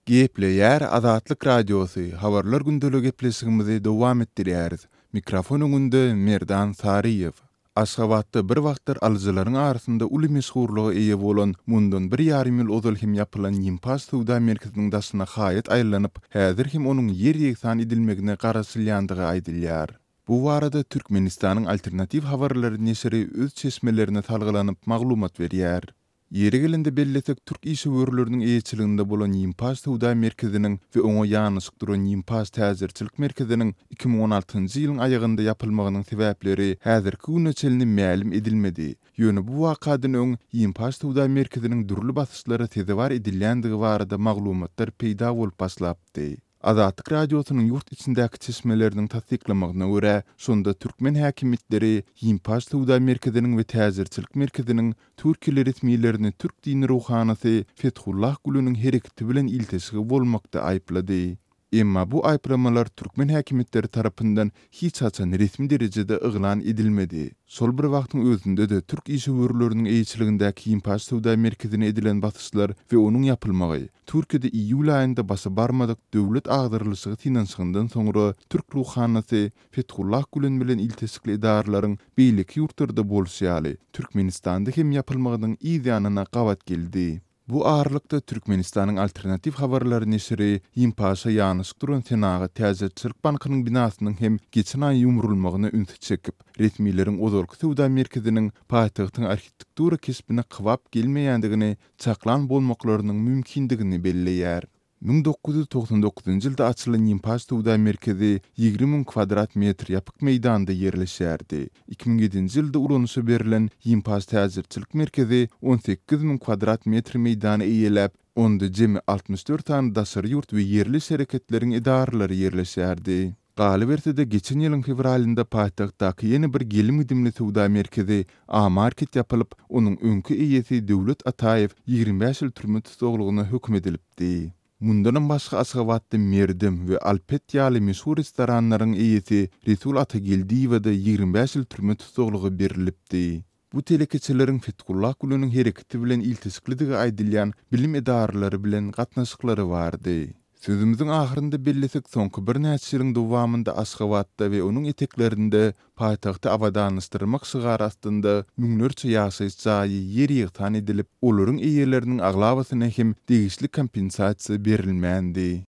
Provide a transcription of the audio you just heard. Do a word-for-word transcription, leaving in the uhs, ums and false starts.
Gepleýär Azatlyk Radiosy, Habarlar gündeligi gepleşigimizi dowam etdirýäris. Mikrofon öňünde Merdan Saryýew. Aşgabatda bir wagtlar alyjylaryň arasynda uly meşhurlyga eýe bolan, mundan bir ýarym ýyl ozal hem ýapylan Ýimpaş söwda merkeziniň daşyna haýat aýlanyp, häzir hem onuň ýer-ýegsan edilmegine garaşylýandygy aýdylýar. Bu barada Türkmenistanyň Alternatiw habarlary neşiri öz çeşmelerine salgylanyp maglumat berýär. Ýeri gelende bellesek, türk işewürleriniň eýeçiliginde bolan Ýimpaş söwda merkeziniň we oňa ýanaşyk duran Ýimpaş täjirçilik merkeziniň iki müň on altynjy ýylyň aýagynda ýapylmagynyň sebäpleri häzirki güne çenli mälim edilmedi. Ýöne bu wakadan öň Ýimpaş söwda merkeziniň dürli basyşlara sezewar edilýändigi barada maglumatlar peýda bolup başlapdy. Azatlyk Radiosynyň ýurt içindäki çeşmeleriniň tassyklamagyna görä, şonda türkmen häkimiýetleri Ýimpaş söwda merkeziniň we täjirçilik merkeziniň türkiýeli resmilerini türk dini ruhanysy Fethullah Güleniň hereketi bilen ilteşigi bolmakda aýyplady. Emma bu aýyplamalar türkmen häkimiýetleri tarapyndan hiç haçan resmi derejede yglan edilmedi. Şol bir wagtyň özünde-de türk işewürleriniň eýeçiligindäki Ýimpaş söwda merkezine edilen basyşlar we onuň ýapylmagy Türkiýede iýul aýynda başa barmadyk döwlet agdarylyşygy synanyşygyndan soňra türk ruhanysy Fethullah Gülen bilen ilteşikli edaralaryň beýleki ýurtlarda bolşy ýaly Türkmenistanda hem ýapylmagynyň yz ýanyna gabat geldi. Bu aralykda Türkmenistanyň Alternatiw habarlary neşiri Ýimpaşa ýanaşyk duran Senagat täjirçilik bankynyň binasynyň hem geçen aý ýumrulmagyna ünsi çekip, resmileriň ozalky söwda merkeziniň paýtagtyň arhitektura keşbine kybap gelmeýändigini çaklan bolmaklarynyň mümkindigini belleýär. Müň dokuz ýüz togsan dokuzynjy ýylda açylan Ýimpaş söwda merkezi ýigrimi müň kvadrat metr ýapyk meýdanda ýerleşýärdi. Iki müň ýedinji ýylda ulanyşa berlen Ýimpaş täjirçilik merkezi on sekiz müň kvadrat metr meýdany eýeläp, onda jemi altmyş dört sany daşary ýurt we ýerli şereketleriň edaralary ýerleşýärdi. Galyberse-de geçen ýylyň fewralynda paýtagtdaky ýene bir gelim-gidimli söwda merkezi A-Market ýapylyp, onuň öňki eýesi Döwlet Ataýew ýigrimi bäş ýyl türme tussaglygyna höküm edilipdi. Mundanam başga Aşgabatda Merdem we Alpet ýaly meşhur restoranlaryň eýesi Resul Atageldiýewe-de ýigrimi bäş ýyl türme tussaglygy berilipdi. Bu telekeçileriň Fethullah Güleniň hereketi bilen ilteşiklidigi aýdylýan bilim edaralary bilen gatnaşyklary bardy. Sözümiziň ahyrynda bellesek, soňky birnäçe ýylyň dowamynda Aşgabatda we onuň eteklerinde paýtagty abadanlaşdyrmak şygary astynda müňlerçe ýaşaýyş jaýy ýer ýegsan edilip, olaryň eýeleriniň aglabasyna hem degişli kompensasiýa berilmändi.